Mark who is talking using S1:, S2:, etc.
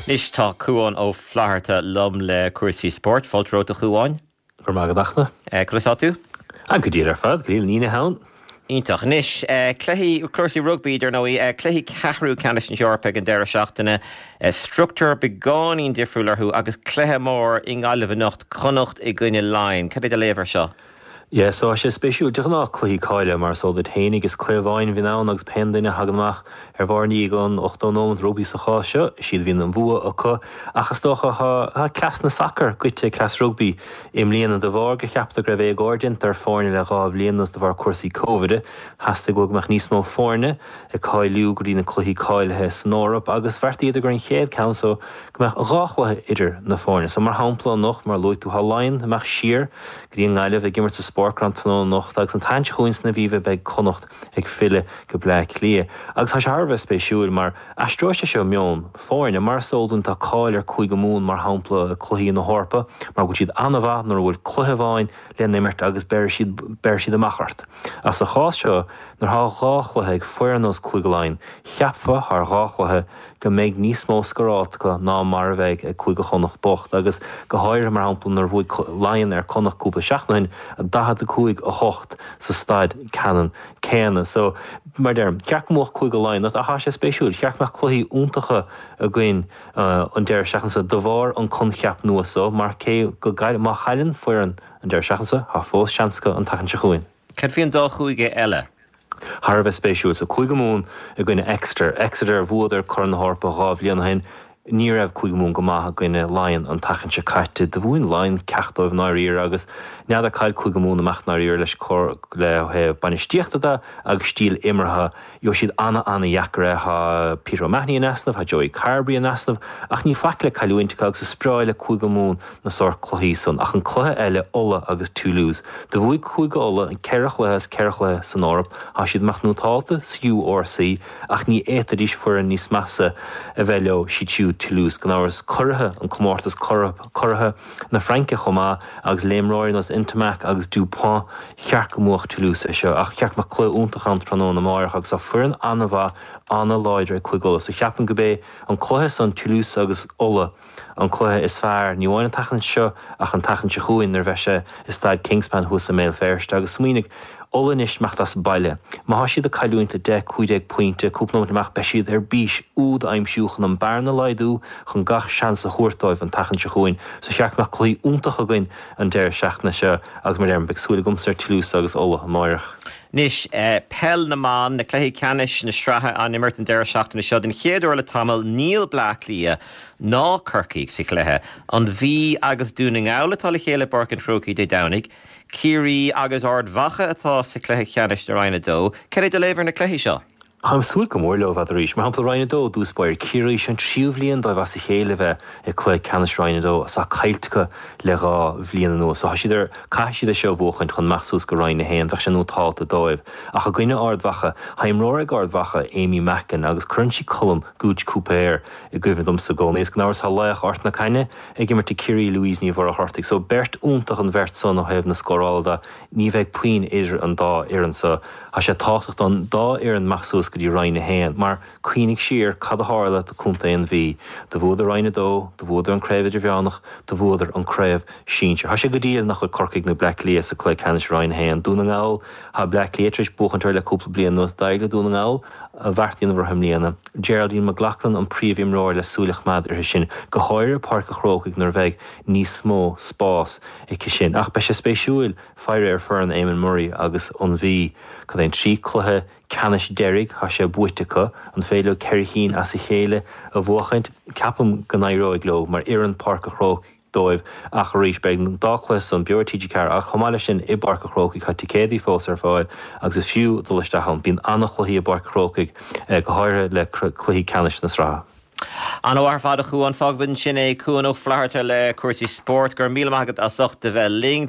S1: Anois tá Cúán Ó Flatharta liom le cúrsaí spóirt. Fáilte romhat a Chúáin.
S2: Go raibh maith agat a Fhachtna.
S1: Conas tá tú?
S2: Ah, go diail ar fad, go diail, an Aoine ann.
S1: Iontach. Anois, cluichí, cúrsaí rugbaí, dar ndóigh, cluichí ceathrú ceannais na hEorpa ag an deireadh seachtaine, struchtúr beagáinín difriúil orthu agus cluiche mór i nGaillimh anocht, Connacht i gcoinne Laighean. Cad é do léamh air seo?
S2: Yeah, so tá sé spéisiúil. De ghnáth, cluichí cáilithe, mar is eol duit fhéinig, is cluiche amháin a bhíonn ann agus pé duine a thagann amach ar bharr i ndiaidh an 80 nóiméad rugbaí sa chás seo, is iad a bhíonn an bhua acu. Ach is dócha, tá, tá cleas na sacair goite ag cleas rugbaí i mbliana de bharr gur cheapadar go raibh éagóir déanta ar foirne le 2 bhliain anuas de bharr cúrsaí Covid. Theastaigh uathu go mbeadh níos mó foirne ag cáiliú go dtí na cluichí cáilithe san Eoraip agus bheartaíodar gur an chéad ceann so go mbeadh 2 chluiche idir na foirne. So mar shampla anocht, mar a luaigh tú, tá Laighean ag imeacht siar go dtí an nGaillimh ag imirt sa Sportground tráthnóna anocht agus an tseachtain seo chugainn san Aviva beidh Connacht ag filleadh go Bleá Cliath. Agus tá sé thar a bheith spéisiúil mar aistreoidh sé seo meon foirne. Mar is eol dúinn tá cáil ar Cúige Mumhan mar shampla i cluichí na hEorpa mar go bhfuil siad an-mhaith nuair a bhfuil cluiche amháin le n-imirt agus beirfidh siad beirfidh siad amach ort. Ach sa chás seo nuair thá 2 chluiche ag foireann nós Cúige Laighean cheapfá thar 2 chluiche go mbeidh níos mó scóráilte acu ná mar a bheidh ag Cúige Chonnacht bocht, agus go háirithe, mar shampla, nuair a bhuaigh Laighean ar Connacht cúpla seachtain ó shin, 45, 8 sa staid ceannann céanna. So, mar a deirim, cheart go mbuafadh Cúige Laighean ach tá sé spéisiúil, cheart go mbeadh cluichí iontacha againn an deireadh seachtaine seo de bharr an coincheap nua so, mar cé go má chailleann foireann an deireadh seachtaine seo, tá fós seans acu an tseachtain seo chugainn.
S1: Cad faoi an dá chúige eile?
S2: Thar a bheith spéisiúil. So Cúige Mumhan i gcoinne Exeter. Exeter, bhuadar Corn na hEorpa 2 bhliain ó shin. Ní raibh Cúige Mumhan go maith i gcoinne Laighean an tseachtain seo caite. Do mhúin Laighean ceacht dóibh i ndáiríre agus n'fheadar cá bhfuil Cúige Mumhan amach i ndáiríre leis le ó thaobh bainistíochta de agus stíl imeartha. Gheobhaidh siad ana-ana-dheacair é. Tá Peter O'Mahony in easnamh, tá Joey Carbery in easnamh ach níl faic le cailliúint acu agus is breá le Cúige Mumhan na sórt cluichí san. Ach an cluiche eile, Ulaidh agus Toulouse. Do bhuaigh Cúige Uladh an ceithre chluiche as ceithre chluiche san Eoraip. Tá siad amach nótálta sa URC ach ní fhéadfaidís foireann níos measa a bheith leo, siad siúd Toulouse. Gan amhras, curaithe an comórtas curaithe na Fraince chomh maith agus le imreoirí nós Ntamack agus Dupont, cheart go mbuafadh Toulouse é seo. Ach cheart go mbeadh cluiche iontach ann tráthnóna amáireach agus tá foireann an-mhaith, an-láidir ag Cúige Uladh. So cheapfainn go b'é an cluiche san, Toulouse agus Ulaidh, an cluiche is fearr, ní amháin an tseachtain seo ach an tseachtain seo chugainn nuair a bheidh sé i Staid Kingspan thuas i mBéal Feirste. Agus smaoinigh, Ulaidh anois imeacht as baile. Má thá siad ag cailliúint le 10, 15 pointe, cúpla nóiméad amach, beidh siad ar bís úd a aimsiú chun an bearna a laghdú, chun gach seans a thabhairt dóibh an tseachtain seo chugainn. So cheart go mbeadh cluichí iontach againn an deireadh seachtaine seo agus mar a deirim, beidh súil agamsa ar Toulouse agus Ulaidh amáireach.
S1: Anois, Peil na mBan, na cluichí ceannais na sraithe á n-imirt an deireadh seachtaine seo. Den chéad uair le tamall, níl Bleá Cliath ná Corcaigh sa chluiche. An Mhí agus Dún na nGall atá le chéile i bPáirc an Chrócaigh Dé Domhnaigh. Ciarraí agus Ard Mhacha atá sa chluiche ceannais i Roinn 2. Cad é do léamh ar na cluichí seo?
S2: Táim ag súil go mór leo arís. Mar shampla, Roinn 2, i dtús báire, Ciarraí, seo an tríú bhliain dóibh as a chéile a bheith i cluiche ceannais Roinn 2 is tá caillte acu le 2 bhliain anuas. So tá siad ar, caithfidh siad é seo a bhuachaint chun imeacht suas go Roinn 1, bheadh sé nótálta dóibh. Ach i gcoinne Ard Mhacha, tá imreoir ag Ard Mhacha, Amy Mackin, agus cuireann sí Colm Gooch Cúipéir i gcuimhne domsa i gcónaí. Is gan amhras tá laoch Ard na Caithne ag imirt ag Ciarraí, Louise Ní Mhuircheartaigh. So beirt iontach an bheirt san ó thaobh na scórála de. Ní bheidh puinn idir an dá fhoireann so. Tá sé tábhachtach don dá fhoireann imeacht suas go dtí Roinn 1 mar cuimhnigh siar cad a tharla do Contae an Mhí. Do bhuadar Roinn 2, do bhuadar an Craobh Idirmheánach, do bhuadar an Craobh Sinsir. Tá sé go diail nach bhfuil Corcaigh nó Bleá Cliath sa cluiche ceannais Roinn 1. Dún na nGall, tá Bleá Cliath tar éis buachaint orthu le cúpla bliain anuas. D'éirigh le Dún na nGall a bheart a dhéanamh orthu i mbliana. Geraldine McLaughlin an príomhimreoir le súil a choimeád uirthi sin, go háirithe Páirc an Chrócaigh nuair a bheidh níos mó spás aici sin. Ach beidh sé spéisiúil faire ar foireann Eamon Murray agus an Mhí. Cad é an 3 cluiche ceannais deiridh thá sé buaite acu. An féidir leo 4 chinn as a chéile a bhuachaint? Ceapaim go n-éireoidh leo mar oireann Páirc an Chrócaigh dóibh ach arís beidh an dá chluiche san beo ar TG4 ach chomh maith leis sin i bPáirc an Chrócaigh tá ticéadaí fós ar fáil agus is fiú dul isteach ann. Bíonn ana-chluichí i bPáirc an Chrócaigh go háirithe le cluichí ceannais na sraithe.
S1: An-mhaith ar fad a Chuáin. Fágfaimid ansin é. Cuan Ó Flatharta le cúrsaí spóirt. Go raibh míle maith agat as ucht a bheith linn.